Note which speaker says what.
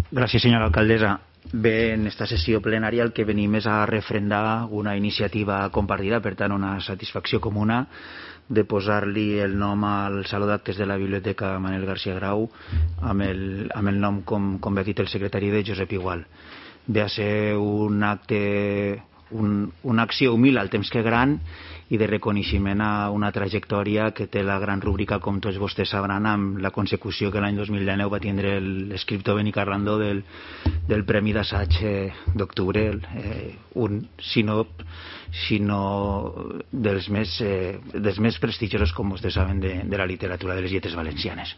Speaker 1: Gràcies, senyora alcaldessa. Bé, en esta sessió plenària el que venim és a refrendar una iniciativa compartida, per tant una satisfacció comuna de posar-li el nom al Saló d'Actes de la Biblioteca Manel García Grau amb el nom, com bé ha dit el secretari, de Josep Igual. Ve a ser un acte, una acció humil al temps que gran i de reconeixement a una trajectòria que té la gran rúbrica, com tots vostès sabran, amb la consecució que l'any 2019 va tindre l'escriptor Beni Carrandó del Premi d'Assaig d'Octubre, si no dels més prestigiosos, com vostès saben, de la literatura de les lletres valencianes.